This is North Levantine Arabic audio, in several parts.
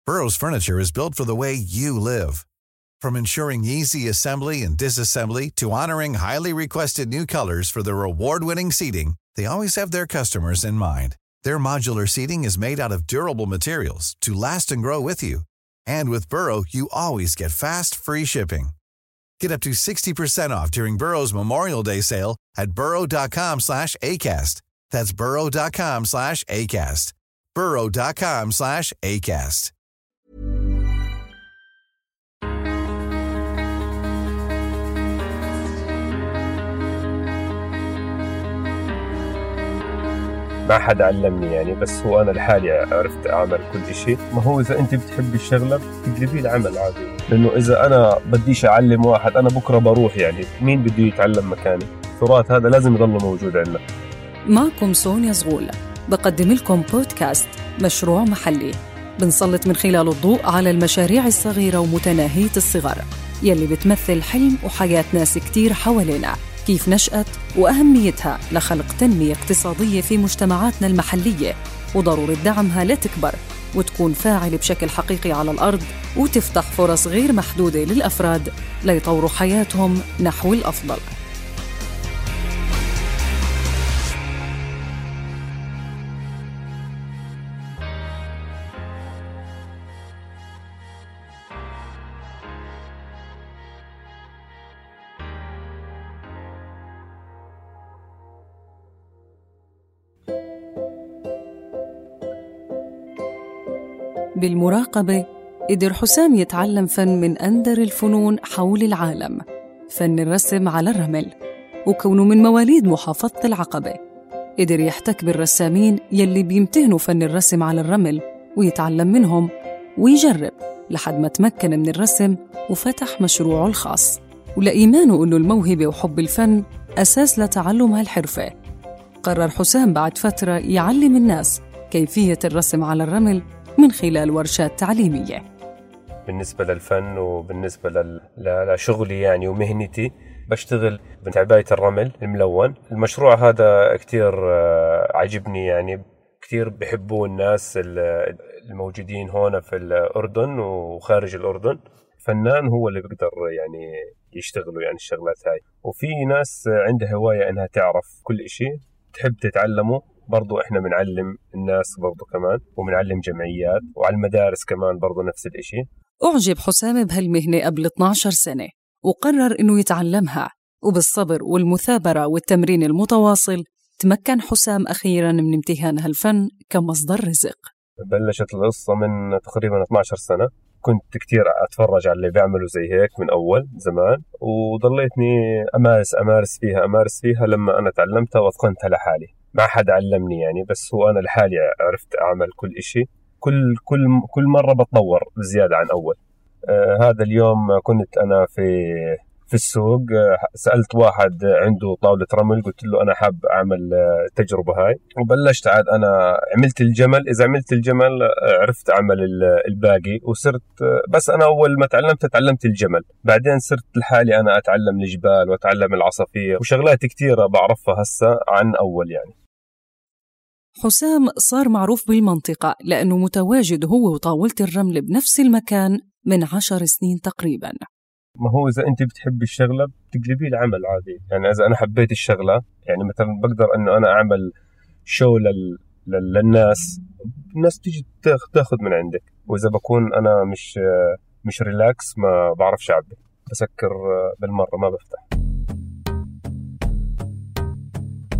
Burrow's furniture is built for the way you live. From ensuring easy assembly and disassembly to honoring highly requested new colors for their award-winning seating, they always have their customers in mind. Their modular seating is made out of durable materials to last and grow with you. And with Burrow, you always get fast, free shipping. Get up to 60% off during Burrow's Memorial Day sale at burrow.com/ACAST. That's burrow.com/ACAST. burrow.com/ACAST. ما حد علمني يعني، بس هو أنا لحالي عرفت أعمل كل شيء. ما هو إذا أنت بتحب الشغلة تقلبيه العمل عادي، لأنه إذا أنا بديش أعلم واحد أنا بكرة بروح، يعني مين بده يتعلم مكاني؟ التراث هذا لازم يضل موجود عندنا. معكم سونيا زغول بقدم لكم بودكاست مشروع محلي، بنسلط من خلال الضوء على المشاريع الصغيرة ومتناهية الصغر يلي بتمثل حلم وحياة ناس كتير حوالينا، كيف نشأت وأهميتها لخلق تنمية اقتصادية في مجتمعاتنا المحلية، وضرورة دعمها لتكبر وتكون فاعلة بشكل حقيقي على الأرض، وتفتح فرص غير محدودة للأفراد ليطوروا حياتهم نحو الأفضل. بالمراقبة قدر حسام يتعلم فن من أندر الفنون حول العالم، فن الرسم على الرمل، وكونه من مواليد محافظة العقبة قدر يحتك بالرسامين يلي بيمتهنوا فن الرسم على الرمل ويتعلم منهم ويجرب لحد ما تمكن من الرسم وفتح مشروعه الخاص، ولإيمانه أنه الموهبة وحب الفن أساس لتعلم هالحرفة. قرر حسام بعد فترة يعلم الناس كيفية الرسم على الرمل من خلال ورشات تعليمية. بالنسبة للفن وبالنسبة لشغلي يعني ومهنتي، بشتغل بعباية الرمل الملون. المشروع هذا كتير عجبني، يعني كتير بحبوه الناس الموجودين هون في الأردن وخارج الأردن. فنان هو اللي بيقدر يعني يشتغلوا يعني الشغلات هاي، وفي ناس عندها هواية إنها تعرف كل إشي تحب تتعلمه. برضو إحنا بنعلم الناس برضو كمان، وبنعلم جمعيات وعلى المدارس كمان برضو نفس الإشي. أعجب حسام بهالمهنة قبل 12 سنة وقرر إنه يتعلمها، وبالصبر والمثابرة والتمرين المتواصل تمكن حسام أخيراً من امتهان هالفن كمصدر رزق. بلشت القصة من تقريباً 12 سنة. كنت كتير أتفرج على اللي بيعملوا زي هيك من أول زمان، وضليتني أمارس فيها لما أنا تعلمتها واتقنتها لحالي. ما حد علمني يعني، بس هو أنا لحالي عرفت أعمل كل إشي. كل مرة بتطور بزيادة عن أول. هذا اليوم كنت أنا في السوق، سألت واحد عنده طاولة رمل، قلت له أنا حاب أعمل تجربة هاي، وبلشت عاد أنا عملت الجمل. إذا عملت الجمل عرفت أعمل الباقي، وصرت بس أنا أول ما تعلمت الجمل، بعدين صرت لحالي أنا أتعلم الجبال وأتعلم العصافير وشغلات كتيرة بعرفها هسا عن أول يعني. حسام صار معروف بالمنطقة لأنه متواجد هو وطاولة الرمل بنفس المكان من 10 سنين تقريباً. ما هو إذا أنت بتحب الشغلة بتقلبيه العمل عادي، يعني إذا أنا حبيت الشغلة يعني مثلا بقدر أنه أنا أعمل شو للناس، الناس تيجي تاخذ من عندك. وإذا بكون أنا مش ريلاكس ما بعرفش أعبي، بسكر بالمرة ما بفتح.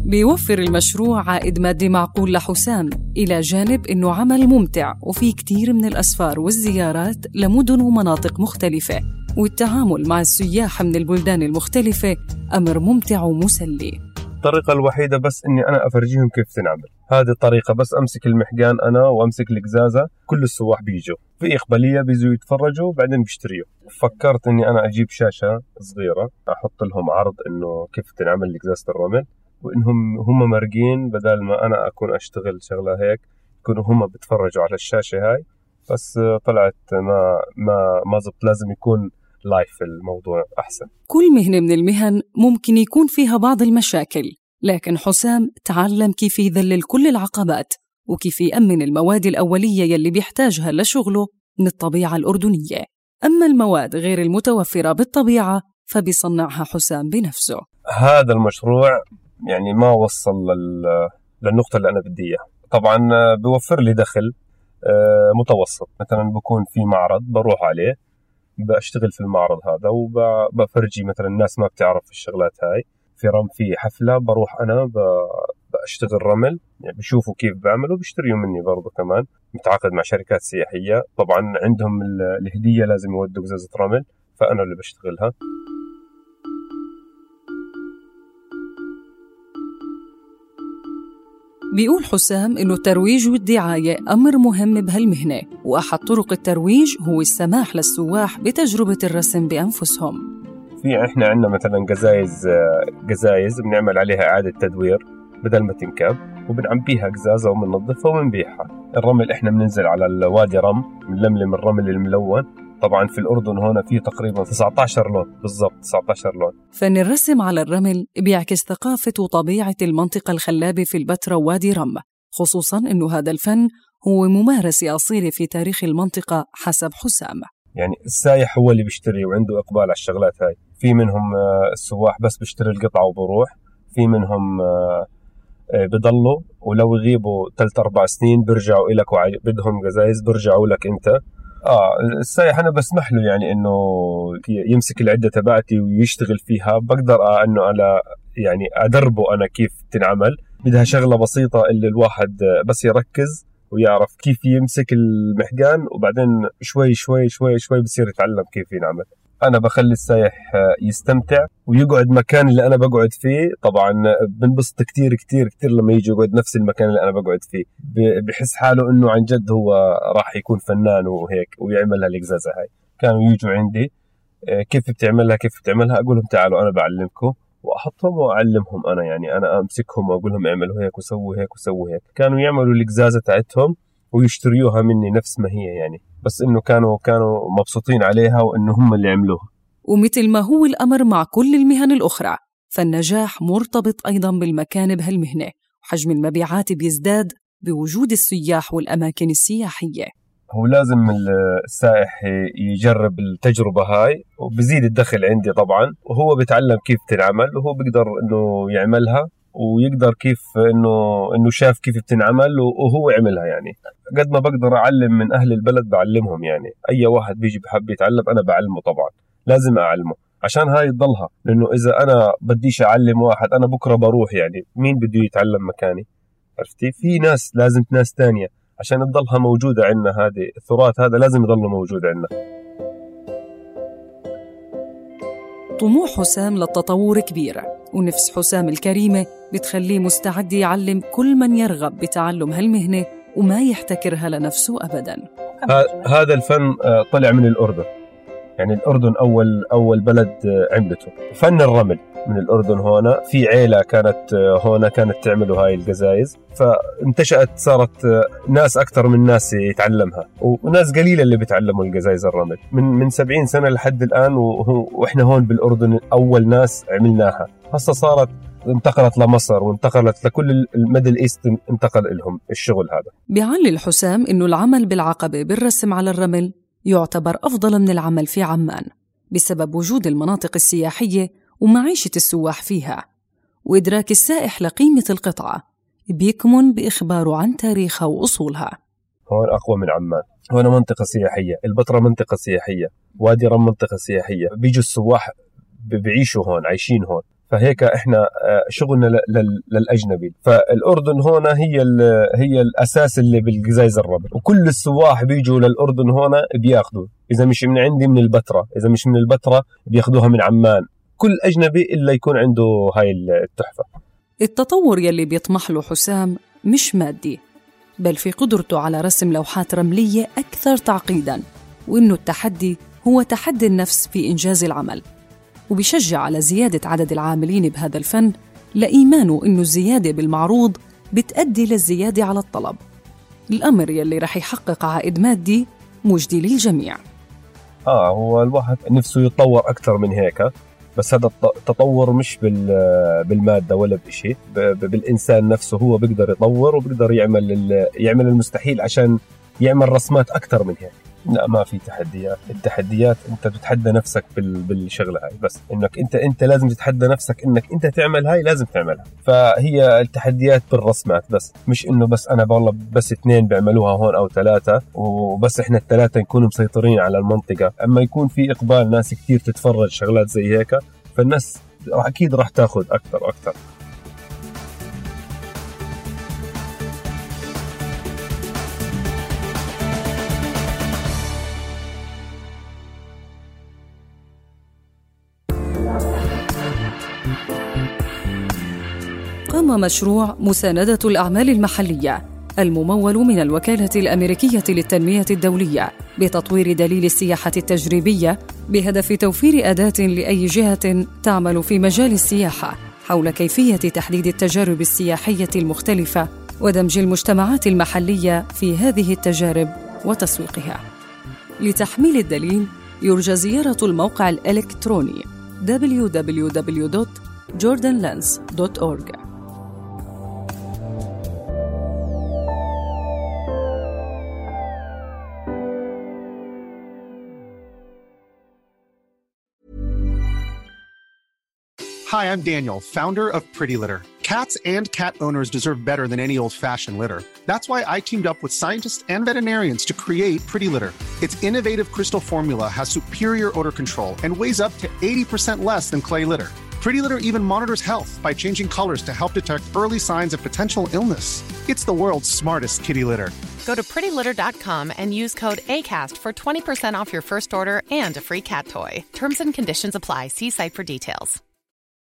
بيوفر المشروع عائد مادي معقول لحسام، إلى جانب أنه عمل ممتع وفيه كتير من الأسفار والزيارات لمدن ومناطق مختلفة، والتعامل مع السياح من البلدان المختلفة أمر ممتع ومسلي. الطريقة الوحيدة بس إني أنا أفرجيهم كيف تنعمل هذه الطريقة، بس أمسك المحجان أنا وأمسك القزازة، كل السواح بيجوا في إقبالية بيجوا يتفرجوا بعدين بيشتريوا. فكرت إني أنا أجيب شاشة صغيرة أحط لهم عرض إنه كيف تنعمل قزازة الرمل، وإنهم هم مرقين بدل ما أنا أكون أشتغل شغلة هيك، يكونوا هم بيتفرجوا على الشاشة هاي. بس طلعت ما زبط، لازم يكون لايف الموضوع أحسن. كل مهنة من المهن ممكن يكون فيها بعض المشاكل، لكن حسام تعلم كيف يذلل كل العقبات وكيف يأمن المواد الأولية يلي بيحتاجها لشغله من الطبيعة الأردنية. أما المواد غير المتوفرة بالطبيعة فبيصنعها حسام بنفسه. هذا المشروع يعني ما وصل للنقطة اللي أنا بدي إياها. طبعا بيوفر لي دخل متوسط. مثلا بكون في معرض بروح عليه بشتغل في المعرض هذا وبفرجي مثلا الناس ما بتعرف الشغلات هاي. في حفلة بروح أنا بشتغل رمل، يعني بشوفوا كيف بعملوا بيشتريوا مني برضو. كمان متعاقد مع شركات سياحية، طبعا عندهم الهدية لازم يودوا قزازة رمل، فأنا اللي بشتغلها. بيقول حسام إنه الترويج والدعاية أمر مهم بهالمهنة، وأحد طرق الترويج هو السماح للسواح بتجربة الرسم بأنفسهم. إحنا عندنا مثلا قزايز بنعمل عليها إعادة تدوير بدل ما تنكب، وبنعبيها قزازة وبننظفها وبنبيعها. الرمل إحنا بننزل على الوادي بنلملم الرمل الملون. طبعا في الأردن هنا فيه تقريبا 19 لون بالضبط، 19 لون. فن الرسم على الرمل بيعكس ثقافة وطبيعة المنطقة الخلابة في البتراء ووادي رم، خصوصا إنه هذا الفن هو ممارسة أصيلة في تاريخ المنطقة حسب حسام. يعني السايح هو اللي بيشتري وعنده إقبال على الشغلات هاي. في منهم السواح بس بيشتري القطعة وبروح، في منهم بضلوا ولو يغيبوا 3-4 سنين بيرجعوا إلك بدهم قزايز بيرجعوا لك أنت. السايح أنا بسمح له يعني إنه يمسك العدة تبعتي ويشتغل فيها. بقدر إنه على يعني أدربه أنا كيف تنعمل. بدها شغلة بسيطة اللي الواحد بس يركز ويعرف كيف يمسك المحجان، وبعدين شوي شوي شوي شوي بصير يتعلم كيف ينعمل. أنا بخلي السايح يستمتع ويقعد مكان اللي أنا بقعد فيه. طبعا بنبسط كتير كتير كتير لما يجي يقعد نفس المكان اللي أنا بقعد فيه، بحس حاله إنه عن جد هو راح يكون فنان وهيك ويعمل هالقزازة هاي. كانوا يجوا عندي كيف بتعملها أقولهم تعالوا أنا بعلمكم، وأحطهم وأعلمهم أنا. يعني أنا أمسكهم وأقول لهم اعملوا هيك وسووا هيك وسووا هيك. كانوا يعملوا القزازة تاعتهم ويشتريوها مني نفس ما هي يعني، بس إنه كانوا مبسوطين عليها وإنه هم اللي عملوها. ومثل ما هو الأمر مع كل المهن الأخرى، فالنجاح مرتبط أيضا بالمكان بهالمهنة، وحجم المبيعات بيزداد بوجود السياح والأماكن السياحية. هو لازم السائح يجرب التجربة هاي وبزيد الدخل عندي طبعا، وهو بيتعلم كيف تنعمل وهو بيقدر إنه يعملها، ويقدر كيف إنه شاف كيف بتنعمل وهو عملها. يعني قد ما بقدر أعلم من أهل البلد بعلمهم. يعني أي واحد بيجي بحب يتعلم أنا بعلمه، طبعا لازم أعلمه عشان هاي تضلها. لأنه إذا أنا بديش أعلم واحد أنا بكرة بروح، يعني مين بده يتعلم مكاني؟ عرفتي؟ في ناس تانية عشان تضلها موجودة عندنا. هذه التراث هذا لازم يضل موجود عندنا. طموح حسام للتطور كبير، ونفس حسام الكريمة بتخليه مستعد يعلم كل من يرغب بتعلم هالمهنة وما يحتكرها لنفسه أبداً. هذا الفن طلع من الأردن. يعني الأردن أول بلد عملته فن الرمل من الأردن. هنا في عيلة كانت تعملوا هاي القزايز، فانتشأت صارت ناس أكثر من ناس يتعلمها، وناس قليلة اللي بيتعلموا القزايز الرمل من 70 سنة لحد الآن. وإحنا هون بالأردن أول ناس عملناها. هسه صارت انتقلت لمصر وانتقلت لكل الميدل إيست، انتقل لهم الشغل هذا. بيعلل حسام إنه العمل بالعقبة بالرسم على الرمل يعتبر أفضل من العمل في عمان بسبب وجود المناطق السياحية ومعيشة السواح فيها، وإدراك السائح لقيمة القطعة بيكمن بإخباره عن تاريخها وأصولها. هون أقوى من عمان. هون منطقة سياحية، البتراء منطقة سياحية، وادي رم منطقة سياحية. بيجوا السواح بيعيشوا هون، عايشين هون. فهيك احنا شغلنا للاجنبي. فالاردن هنا هي الاساس اللي بالقزايز الرمل، وكل السواح بيجوا للاردن هنا بياخذوا. اذا مش من عندي من البتراء، اذا مش من البتراء بياخذوها من عمان. كل اجنبي الا يكون عنده هاي التحفه. التطور يلي بيطمح له حسام مش مادي، بل في قدرته على رسم لوحات رمليه اكثر تعقيدا، وانه التحدي هو تحدي النفس في انجاز العمل. وبيشجع على زيادة عدد العاملين بهذا الفن لإيمانه إنه الزيادة بالمعروض بتأدي للزيادة على الطلب، الأمر يلي رح يحقق عائد مادي مجدي للجميع. هو الواحد نفسه يتطور أكثر من هيك، بس هذا التطور مش بالمادة ولا بشيء، بالإنسان نفسه. هو بيقدر يطور وبيقدر يعمل المستحيل عشان يعمل رسمات أكثر من هيك. لا ما في تحديات. التحديات انت بتتحدى نفسك بالشغله هاي، بس انك انت لازم تتحدى نفسك انك انت تعمل هاي، لازم تعملها. فهي التحديات بالرسمات بس، مش انه بس انا والله بس 2 بيعملوها هون او 3 وبس احنا ال3 نكون مسيطرين على المنطقه. اما يكون في اقبال ناس كتير تتفرج شغلات زي هيك، فالناس اكيد راح تاخذ اكثر. قام مشروع مساندة الأعمال المحلية الممول من الوكالة الأمريكية للتنمية الدولية بتطوير دليل السياحة التجريبية بهدف توفير أداة لأي جهة تعمل في مجال السياحة حول كيفية تحديد التجارب السياحية المختلفة ودمج المجتمعات المحلية في هذه التجارب وتسويقها. لتحميل الدليل يرجى زيارة الموقع الإلكتروني www.jordanlens.org. Hi, I'm Daniel, founder of Pretty Litter. Cats and cat owners deserve better than any old-fashioned litter. That's why I teamed up with scientists and veterinarians to create Pretty Litter. Its innovative crystal formula has superior odor control and weighs up to 80% less than clay litter. Pretty Litter even monitors health by changing colors to help detect early signs of potential illness. It's the world's smartest kitty litter. Go to prettylitter.com and use code ACAST for 20% off your first order and a free cat toy. Terms and conditions apply. See site for details.